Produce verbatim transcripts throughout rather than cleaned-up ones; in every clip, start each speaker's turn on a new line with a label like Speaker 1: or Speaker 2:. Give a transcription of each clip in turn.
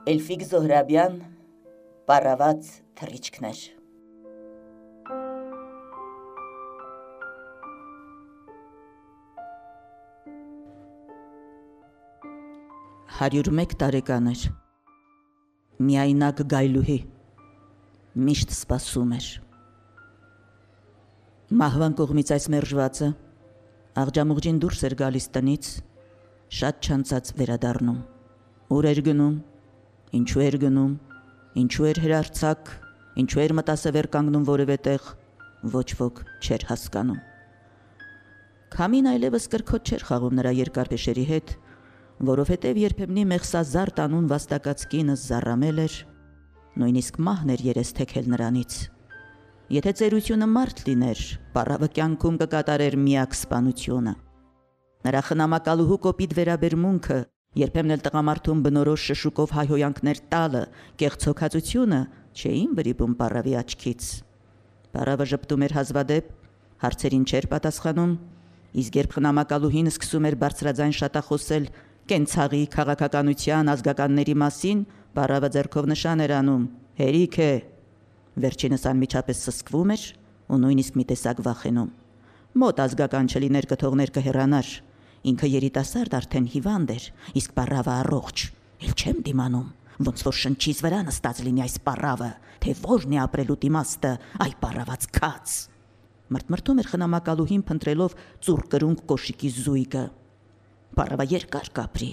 Speaker 1: Էլֆիկ Զոհրաբյան, պարաված թռիչքներ։ Հարյուր մեկ տարեկան էր, միայնակ գայլուհի, միշտ սպասում էր։ Մահվան կողմից այս մերժվածը աղջամուղջին դուրս էր գալիս տնից, շատ չանցած վերադառնում, ուր էր գնում, ինչու էր գնում, ինչու էր հրարցակ, ինչու էր մտասևեր կանգնում որևէ տեղ, ոչ ոք չէր հասկանում։ Քամին այլևս կրքոտ չէր խաղում նրա երկար փեշերի հետ, որովհետև երբեմնի մեղսազարդ անուն վաստակած կինը զառամել էր, նույնիսկ մահն էր երես թեքել նրանից։ Եթե ծերությունը մարդ լիներ, պառավը կյանքում կկատարեր միակ սպանությունը։ Նրա խնամակալուհու կոպիտ վերաբերմունքը, երբեմն էլ տղամարդուն բնորոշ շշուկով հայհոյանքներ տալը, կեղծոքածությունը չէին վրիպում պառավի աչքից։ Պառավը ժպտում էր հազվադեպ, հարցերին չէր պատասխանում, իսկ երբ խնամակալուհին սկսում էր բարձրաձայն շատախոսել կենցաղի, քաղաքականության, ազգականների մասին, պառավը ձեռքով նշան էր անում, հերիք է։ Վերջինս անմիջապես սսկվում էր ու նույնիսկ մի տեսակ վախենում։ Մոտ ազգական չլիներ կթողներ կհեռանար, ինքը երիտասարդ արդեն հիվանդ էր, իսկ պառավը առողջ, էլ չեմ դիմանում, ոնց որ շնչից վրա նստած լինի այս պառավը, թե որն է ապրելու իմաստը, այ պառաված քաց։ Մրթմրթում էր խնամակալուհին փնտրելով ծուռ կրունկ կոշիկի զույգը։ Պառավը երկար կապրի։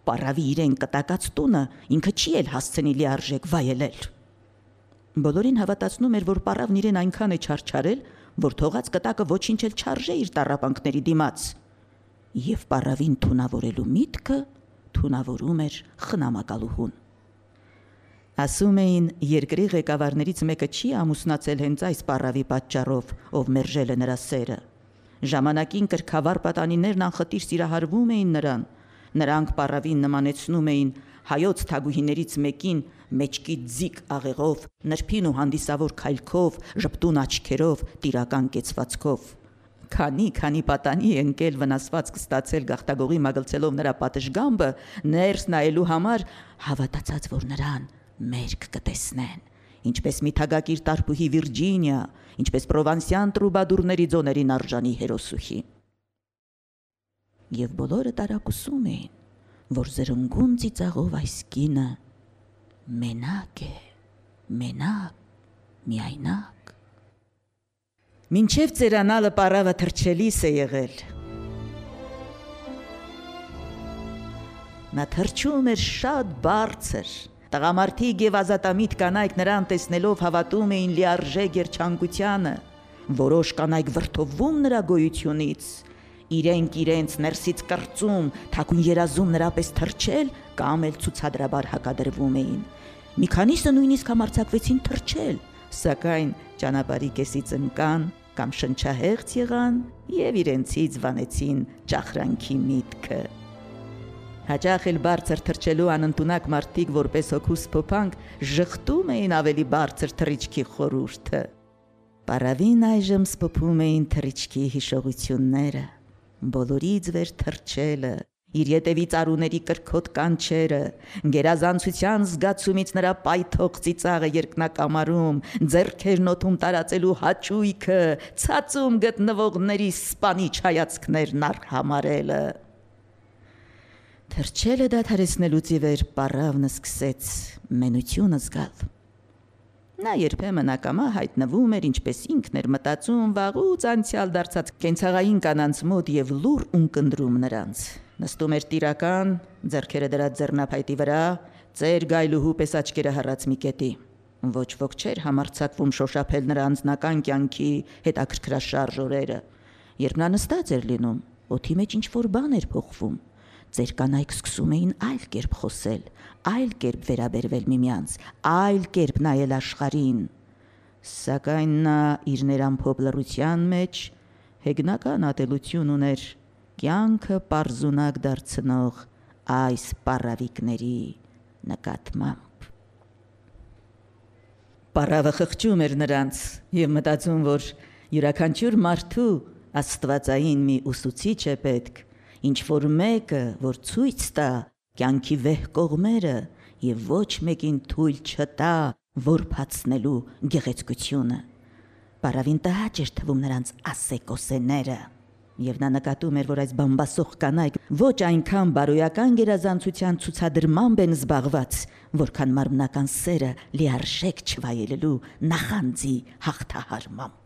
Speaker 1: Պառավի իրեն կտակած տունը ինքը չի էլ հասցնի լիարժեք վայելել։ Բոլորին հավատացնում էր, որ պառավն իրեն այնքան է չարչարել, որ թողած կտակը ոչինչ էլ չարժե իր տառապանքների դիմաց։ Եվ պառավին թունավորելու միտքը թունավորում էր խնամակալուհուն։ Ասում էին, երկրի ղեկավարներից մեկը չի ամուսնացել հենց այս պառավի պատճառով, ով մերժել է նրա սերը։ Ժամանակին կրքավար պատանիներն անխտիր սիրահարվում էին նրան, նրանք պառավին նմանեցնում էին հայոց թագուհիներից մեկին մեջքի ձիգ աղեղով, նրբին ու հանդիսավոր քայլքով, ժպտուն աչքերով, տիրական կեցվածքով։ Քանի քանի պատանի ընկել վնասված կստացել գաղտագողի մագլցելով նրա պատշգամբը, ներս նայելու համար հավատացած, որ նրան մերկ կտեսնեն, ինչպես մի թագակիր տարբուհի Վիրջինիա, ինչպես պրովանսյան տրուբադուրների ձոներին արժանի հերոսուհի։ Եվ բոլորը տարակուսում էին, որ զրնգուն ծիծաղով այս կինը մենակ է, մենակ, միայնակ։ Մինչև ծերանալը պառավը թռչելիս է եղել։ Նա թռչում էր շատ բարձր, տղամարդիկ և ազատամիտ կանայք նրան տեսնելով հավատում էին լիարժեք երջանկությանը, որոշ կանայք վրդովվում նրա գոյությունից, իրենք իրենց ներսից կրծում, թաքուն երազում նրա պես թռչել կամ էլ ցուցադրաբար հակադրվում էին։ Մի քանիսը նույնիսկ համարձակվեցին թռչել, սակայն ճանապարհի կեսից ընկան կամ շնչահեղձ եղան և իրենցից վանեցին ճախրանքի միտքը։ Հաճախ էլ բարձր թռչելու անընդունակ մարդիկ որպես հոգուս փոփանք ժխտում էին ավելի բարձր թռիչքի խորհուրդը։ Պառավին այժմ սփոփում էին թռիչքի հիշողությունները, բոլորից վեր թռչելը, իր ետևից արուների կրքոտ կանչերը, գերազանցության զգացումից նրա պայթող ծիծաղը երկնակամարում, ձեռքերն օդում տարածելու հաճույքը, ցածում գտնվողների սպանիչ հայացքներն արհամարելը։ Թռչելը դադարեցնելուց ի վեր պառավն սկսեց մենություն զգալ։ Նա երբեմն ակամա հայտնվում էր, ինչպես ինքն էր մտածում, վաղուց անցյալ դարձած կենցաղային կանանց մոտ և լուռ ունկնդրում նրանց։ Նստում էր տիրական, ձեռքերը դրած ձեռնափայտի վրա, ծեր գայլուհու պես աչքերը հառած մի կետի։ Ոչ ոք չէր համարձակվում շոշափել նրա անձնական կյանքի հետաքրքրաշարժ օրերը։ Երբ նա նստած էր լինում, օդի մեջ ինչ-որ բան էր փոխվում։ Ձեր կանայք սկսում էին այլ կերպ խոսել, այլ կերպ վերաբերվել միմյանց, այլ կերպ նայել աշխարհին։ Սակայն նա իր ներամփոփ լռության մեջ հեգնական ատելություն ուներ կյանքը պարզունակ դարձնող այս պառավիկների նկատմամբ։ Պառավը խղճում էր նրանց և մտածում, որ յուրաքանչյուր մարդու աստվածային մի ուսուցիչ է պետք, ինչ որ մեկը, որ ցույց տա կյանքի վեհ կողմերը եւ ոչ մեկին թույլ չտա որփացնելու գեղեցկությունը։ Պարավին տհաճ էր թվում նրանց ասեկոսեները, եւ նա նկատում էր, որ այս բամբասող կանայք ոչ այնքան բարոյական գերազանցության ցուցադրմամբ են զբաղված, որքան մարմնական սերը լիարժեք չվայելելու նախանձի հաղթահարմամբ։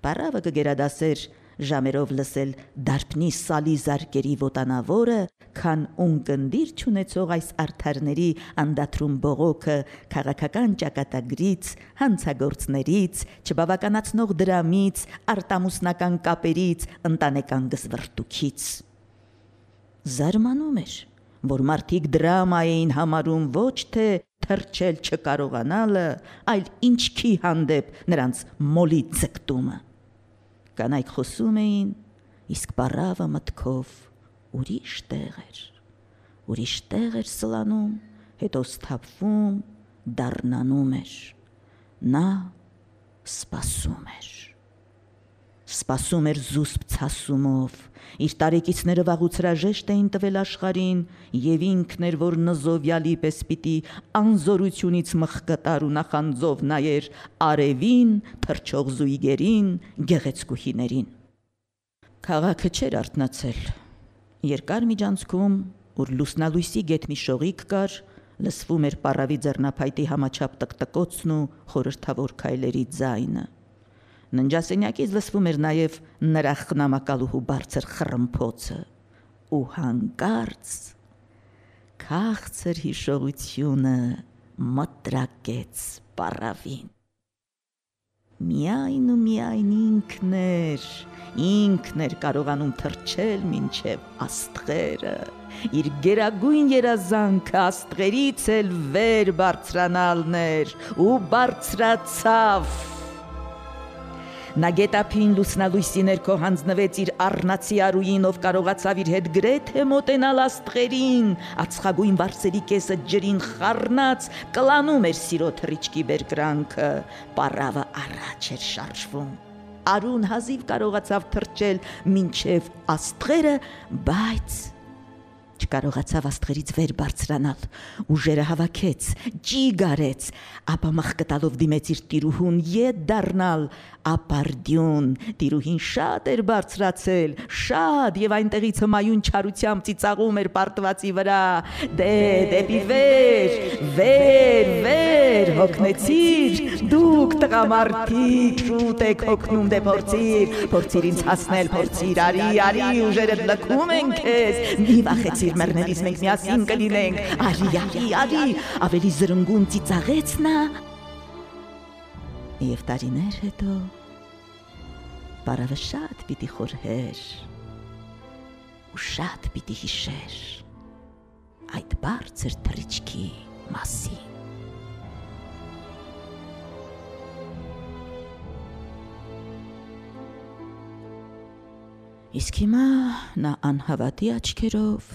Speaker 1: Պարավը կգերադասեր ժամերով լսել դարբնի սալի զարկերի ոտանավորը, քան ունկնդիր չունեցող այս արդարների անդադրում բողոքը քաղաքական ճակատագրից, հանցագործներից, չբավականացնող դրամից, արտամուսնական կապերից, ընտանեկան գզվռտուքից։ Զարմանում էր, որ մարդիկ դրամա էին համարում ոչ թե թրջել չկարողանալը, այլ ինչքի հանդեպ նրանց մոլի ձգտումը։ Կանայք խոսում էին, իսկ պարավը մտքով ուրիշ տեղ էր, ուրիշ տեղ էր սլանում, հետո սթափվում, դառնանում էր, նա սպասում էր, սպասում էր զուսպ ցասումով, իր տարեկիցները վաղուց հրաժեշտ էին տվել աշխարհին, եւ ինքն էր, որ նզովյալի պես պիտի անզորությունից մխկտար ու նախանձով նայեր արևին, թրջող զույգերին, գեղեցկուհիներին։ Քաղաքը չէր արթնացել։ Երկար միջանցքում, ուր լուսնալույսի գետ մի շողիկ կար, լսվում էր պարավի ձեռնափայտի համաչափ տկտկոցն ու խորհրդավոր քայլերի ձայնը։ Ննջասենյակից լսվում էր նաև նրա խնամակալուհու բարձր խռմփոցը ու հանկարծ քաղցր հիշողությունը մտրակեց պարավին։ Միայն ու միայն ինքն էր, ինքն էր կարողանում թռչել մինչև աստղերը, իր գերագույն երազանքը աստղերից էլ վեր բարձրանալն էր ու բարձրացավ։ Նա գետափին լուսնալույսի ներքո հանձնվեց իր առնացի արուին, ով կարողացավ իր հետ գրեթե մոտենալ աստղերին, ածխագույն վարսերի կեսը ջրին խառնած կլանում էր սիրո թռիչքի բերկրանքը, պարավը առաջ էր շարժվում։ Արուն հազիվ կարողացավ թռչել մինչև աստղերը, բայց չկարողացավ աստղերից վեր բարձրանալ, ուժերը հավաքեց, ջիգ արեց, ապա մխկտալով դիմեց իր տիրուհուն ետ դառնալ, ապարդյուն, տիրուհին շատ էր բարձրացել, շատ, եւ այնտեղից հմայուն չարությամբ ծիծաղում էր պարտվածի վրա, դե դեպի վեր, վեր, վեր, հոգնեցիր, դուք տղամարդիկ, շուտ եք հոգնում, դե փորձիր, փորձիր ինձ հասնել, փորձիր, արի, արի, ուժերդ լքում են քեզ, մի վախեցիր մեռնելիս մենք միասին կլինենք, արի, արի, արի, ավելի զրնգուն ծիծաղեց նա, եւ տարիներ հետո պարավը շատ պիտի խորհեր ու շատ պիտի հիշեր այդ բարձր թռիչքի մասին։ Իսկ հիմա նա անհավատի աչքերով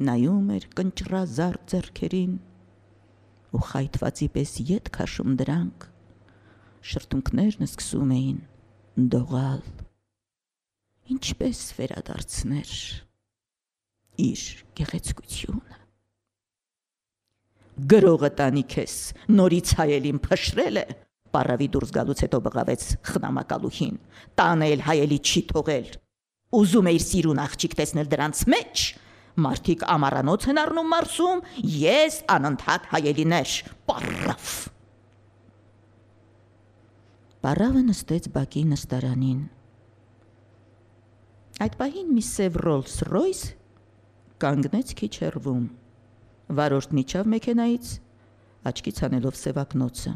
Speaker 1: նայում էր կնճռազարդ ձեռքերին ու խայթվածի պես ետ քաշում դրանք, շրթունքներն սկսում էին դողալ, ինչպես վերադարձներ իր գեղեցկությունը։ Գրողը տանի քեզ, նորից հայելին փշրել է, պարավի դուրս գալուց հետո բղավեց խնամակալուհին, տանը էլ հայելի չի թողել, ուզում է իր սիրուն աղջիկ տեսնել դրանց մեջ, մարդիկ ամառանոց են առնում մարսում, ես անընդհատ հայելիներ, պարավ։ Պարավը նստեց բակի նստարանին։ Այդ պահին մի սև Ռոլս Ռոյս կանգնեց քիչ հեռվում, վարորդն իջավ մեքենայից, աչքից հանելով սևակնոցը։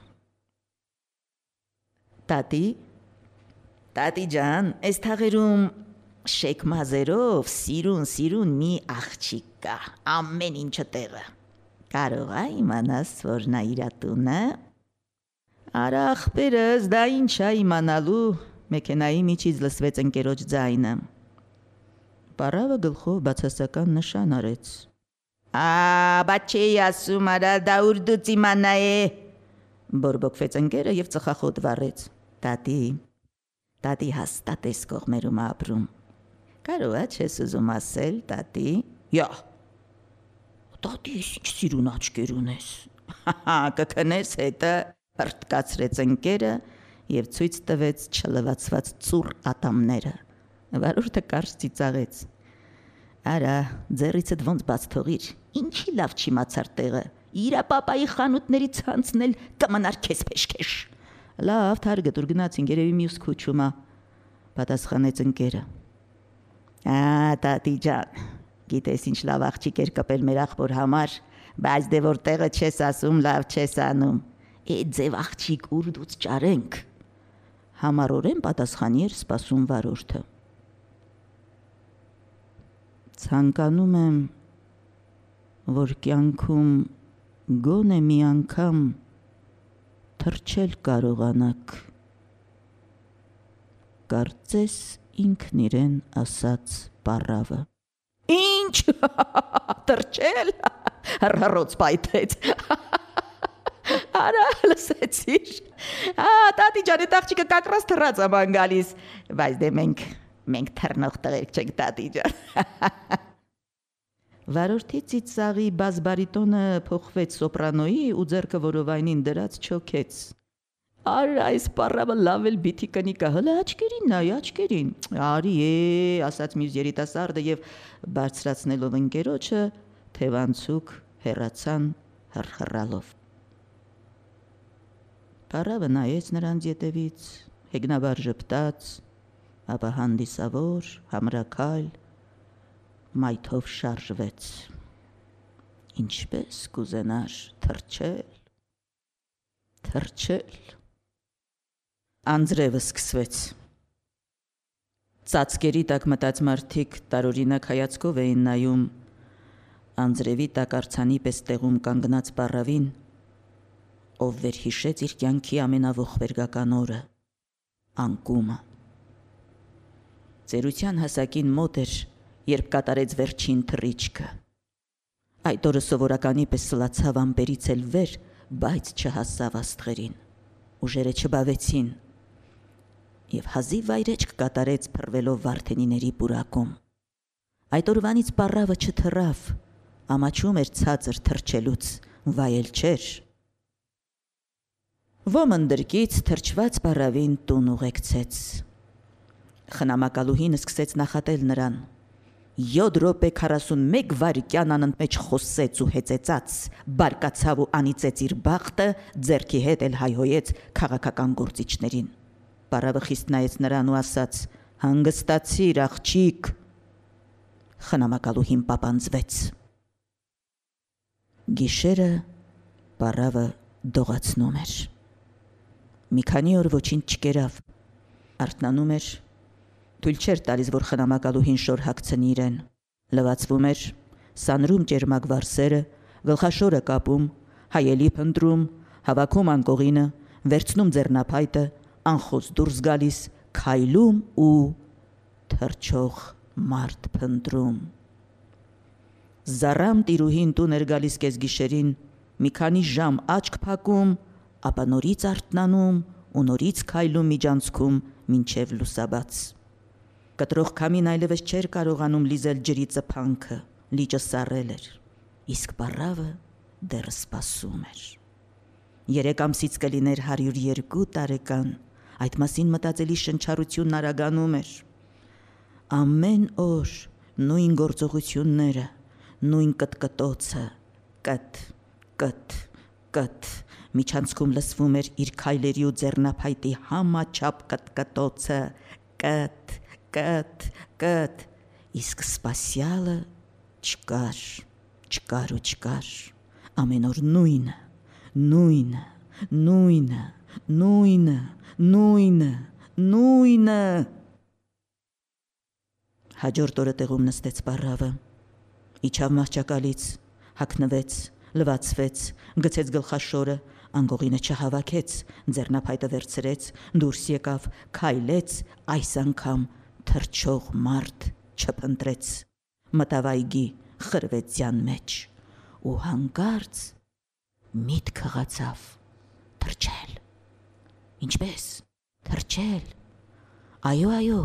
Speaker 1: Տատի, տատի ջան, այս թաղերում շեք մազերով սիրուն, սիրուն մի աղջիկ կա, ամեն ինչը տեղը։ Կարող է իմանաս, որ նա իր տունը։ Արա ախպերս, դա ինչ է իմանալու, մեքենայի միջից լսվեց ընկերոջ ձայնը։ Պարավը գլխով բացասական նշան արեց։ Ա, բայց չի ասում, արա դա ուրդուց իմանա է, բորբոքվեց ընկերը եւ ծխախոտ վառեց։ Տատի, տատի հաստատ էս կողմերում ապրում։ Կարող է չես ուզում ասել, տատի։ Յա, տատիս ինչ սիրուն աչքեր ունես։ Հա, կքնես հետը, հրտկացրեց ընկերը եւ ցույց տվեց չլվացված ծուռ ատամները։ Վարորդը կարճ ծիծաղեց։ Արա, ձեռիցդ ոնց բաց թողիր, ինչի լավ չիմացար տեղը։ Իրա պապայի խանութների ցանցն էլ կմնար քեզ փեշքեշ։ Լավ, թարգ դուր գնացին երևի մյուս քուչումա, պատասխանեց ընկերը։ Ա, տատի ջան, գիտես ինչ լավ աղջիկ էր կպել մեր աղբոր համար, բայց դե որ տեղը չես ասում, լավ չես անում։ Էդ ձև աղջիկ ուր դուց ճարենք։ Համառորեն պատասխանի էր սպասում վարորդը։ Ցանկանում եմ, որ կյանքում գոնե մի անգամ թռչել կարողանաք։ Կարծես ինքն իրեն ասաց պառավը։ Ինչ, թռչել, հռհռոց պայթեց։ Արա, լսեցիր։ Ա, տատի ջան, այդ աղջիկը կակրած թռած է ման գալիս, բայց դե մենք մենք թռնող տղերք չենք, տատի ջան։ Վարորդի ծիծաղի բազբարիտոնը փոխվեց սոպրանոյի ու ձեռքը որովայնին դրած չոքեց։ Արա, այս պառավը լավ էլ բիթի կնի կա, հլը աչքերին նայ, աչքերին։ Արի է, ասաց մյուս երիտասարդը եւ բարձրացնելով ընկերոջը, թևանցուկ հեռացան հռհռալով։ Պառավը նայեց նրանց ետևից, հեգնաբար ժպտաց, ապա հանդիսավոր, համրաքայլ, մայթով շարժվեց։ Ինչպես կուզենար թռչել, թռչել։ Անձրևը սկսվեց։ Ծածկերի տակ մտած մարդիկ տարօրինակ հայացքով էին նայում անձրևի տակ արձանի պես տեղում կանգնած պառավին, ով վերհիշեց իր կյանքի ամենավոխվերգական օրը, անկումը։ Ծերության հասակին մոտ էր, երբ կատարեց վերջին թռիչքը։ Այդ օրը սովորականի պես սլացավ ամպերից էլ վեր, բայց չհասավ աստղերին։ Ուժերը չբավեցին եւ հազիվ վայրեջք կատարեց փռվելով Վարդենիների պուրակում։ Այդ օրվանից պառավը չթռավ, ամաչում էր ցածր թռչելուց, վայել չէր։ Ոմնդրկից թրջված պառավին տուն ուղեկցեց։ Խնամակալուհին սկսեց նախատել նրան։ Յոթ րոպե քառասունմեկ վայրկյան անընդմեջ խոսեց ու հեծեծաց, բարկացավ ու անիծեց իր բախտը, ձեռքի հետ էլ հայհոյեց քաղաքական գործիչներին։ Պառավը խիստ նայեց նրան ու ասաց. հանգստացիր, աղջիկ։ Խնամակալուհին պապանձվեց։ Գիշերը պառավը դողացնում էր։ Մի քանի օր ոչինչ չկերավ, արթնանում էր, թույլ չէր տալիս, որ խնամակալուհին շոր հագցնի իրեն, լվացվում էր, սանրում ճերմակ վարսերը, գլխաշորը կապում, հայելի փնտրում, հավաքում անկողինը, վերցնում ձեռնափայտը, անխոս դուրս գալիս, քայլում ու թռչող մարդ փնտրում։ Զառամ տիրուհին տուն էր գալիս կեսգիշերին, մի քանի ժամ աչք փակում, ապա նորից արթնանում ու նորից քայլում միջանցքում մինչև լուսաբաց։ Կտրող քամին այլևս չէր կարողանում լիզել ջրի ծփանքը, լիճը սառել էր, իսկ պառավը դեռ սպասում էր։ Երեք ամսից կլիներ հարյուր երկու տարեկան, այդ մասին մտածելի շնչառությունն արագանում էր։ Ամեն օր նույն գործողությունները, նույն կտկտոցը, կտ, կտ, կտ, միջանցքում լսվում էր իր քայլերի ու ձեռնափայտի համաչափ կտկտոցը, կտ, կտ, կտ, իսկ սպասյալը չկար, չկար ու չկար, ամեն օր նույնը, նույնը, նույնը, նույնը, նույնը, նույնը։ Հաջորդ օրը տեղում նստեց պառավը, իջավ մահճակալից, հագնվեց, լվացվեց, գցեց գլխաշորը, անկողինը չհավաքեց, ձեռնափայտը վերցրեց, դուրս եկավ, քայլեց, այս անգամ թռչող մարդ չփնտրեց, մտավ այգի խրվեցյան մեջ ու հանկարծ միտք հղացավ թռչել։ Ինչպես թռչել։ Այո, այո,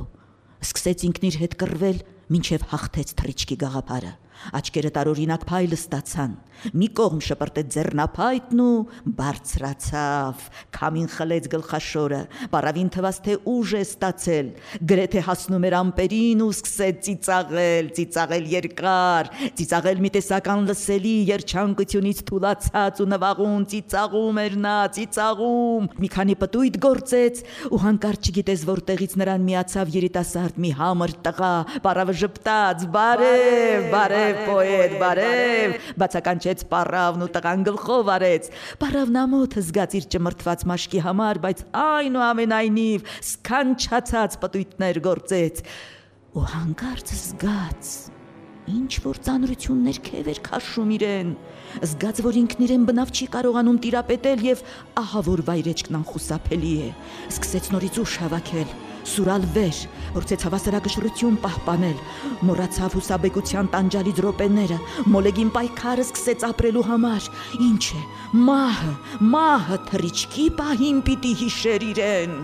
Speaker 1: սկսեց ինքն իր հետ կռվել, մինչև հաղթեց թռիչքի գաղափարը, Աչքերը տարօրինակ փայլ ստացան, մի կողմ շպրտեց ձեռնափայտն ու բարձրացավ, քամին խլեց գլխաշորը, պարավին թվաց, թե ուժ է ստացել, գրեթե հասնում էր ամպերին ու սկսեց ծիծաղել, ծիծաղել երկար, ծիծաղել մի տեսական լսելի երջանկությունից թուլացած ու նվաղուն ծիծաղում էր նա, ծիծաղում, մի քանի պտույտ գործեց ու հանկարծ չգիտես որտեղից նրան միացավ երիտասարդ մի համր տղա, պարավը ժպտաց, բարև, բարև պոետ, բարև, բացականչեց պարավն ու տղան գլխով արեց, պարավն ամոթը զգաց իր ճմրթված մաշկի համար, բայց այնուամենայնիվ սքանչացած պտույտներ գործեց ու հանկարծ զգաց, ինչ որ ծանրություն ներքև էր քաշում իրեն, զգաց, որ ինքն իրեն բնավ չի կարողանում տիրապետել և ահա որ վայրեջքն անխուսափելի է, սկսեց նորից ուժ հավաքել, սուրալ վեր, փորձեց հավասարակշռություն պահպանել, մոռացավ հուսաբեկության տանջալից րոպեները, մոլեգին պայքարը սկսեց ապրելու համար, ինչ է, մահը, մահը թռիչքի պահին պիտի հիշեր իրեն։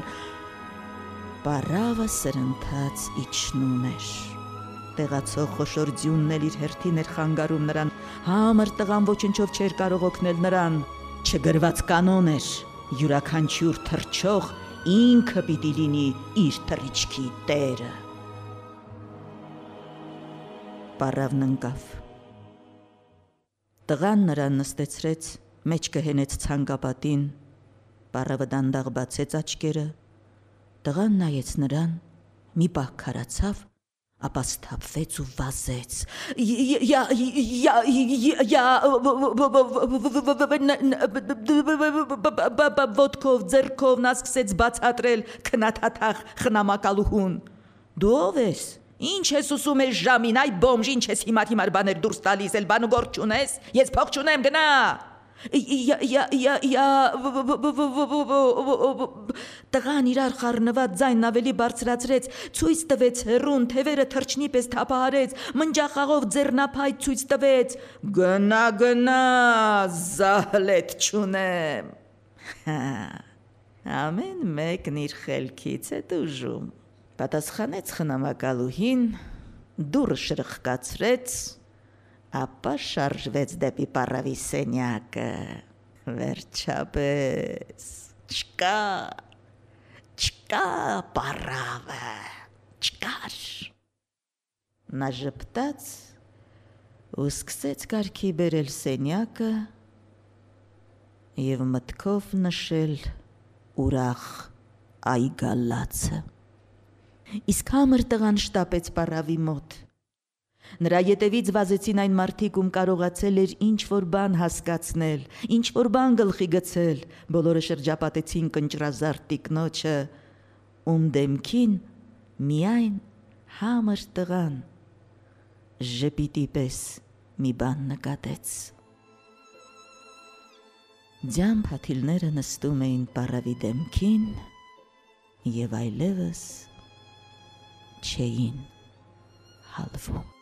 Speaker 1: Պարավը սրընթաց իջնում էր, տեղացող խոշոր ձյունն էլ իր հերթին էր խանգարում նրան, համր տղան ոչնչով չէր կարող օգնել նրան, չգրված կանոն էր, յուրաքանչյուր թռչող ինքը պիտի լինի իր թռիչքի տերը։ Պարավն ընկավ։ Տղան նրան նստեցրեց, մեջքը հենեց ցանկապատին, պարավը դանդաղ բացեց աչքերը, տղան նայեց նրան, մի պահ քարացավ, ապա սթափվեց ու վազեց։ Ոտքով, ձեռքով նա սկսեց բացատրել քնաթաթախ խնամակալուհուն։ Դու ով ես, ինչ ես ուսում ես ժամին, այ բոմժ, ինչ ես հիմար հիմար բաներ դուրս տալիս, էլ բան ու գործ չունես, ես փող չունեմ, գնա։ Տղան իրար խառնված ձայնն ավելի բարձրացրեց, ցույց տվեց հեռուն, թևերը թռչնի պես թափահարեց, մնջախաղով ձեռնափայտ ցույց տվեց, գնա, գնա, զահլետ չունեմ։ Ամեն մեկն իր խելքից է տուժում, պատասխանեց խնամակալուհին, դուռը շրխկացրեց, ապա շարժվեց դեպի պարավի սենյակը, վերջապես, չկա, չկա պարավը, չկար։ Նա ժպտաց ու սկսեց կարգի բերել սենյակը և մտքով նշել ուրախ այգալացը։ Իսկ համր տղան շտապեց պարավի մոտ։ Նրա ետևից վազեցին այն մարդիկ, ում կարողացել էր ինչ-որ բան հասկացնել, ինչ-որ բան գլխի գցել, բոլորը շրջապատեցին կնճռազարդ տիկնոջը, ում դեմքին միայն համր տղան ժպիտի պես մի բան նկատեց։ Ձյան փաթիլները նստում էին պարավի դեմքին և այլևս չէին հալվում։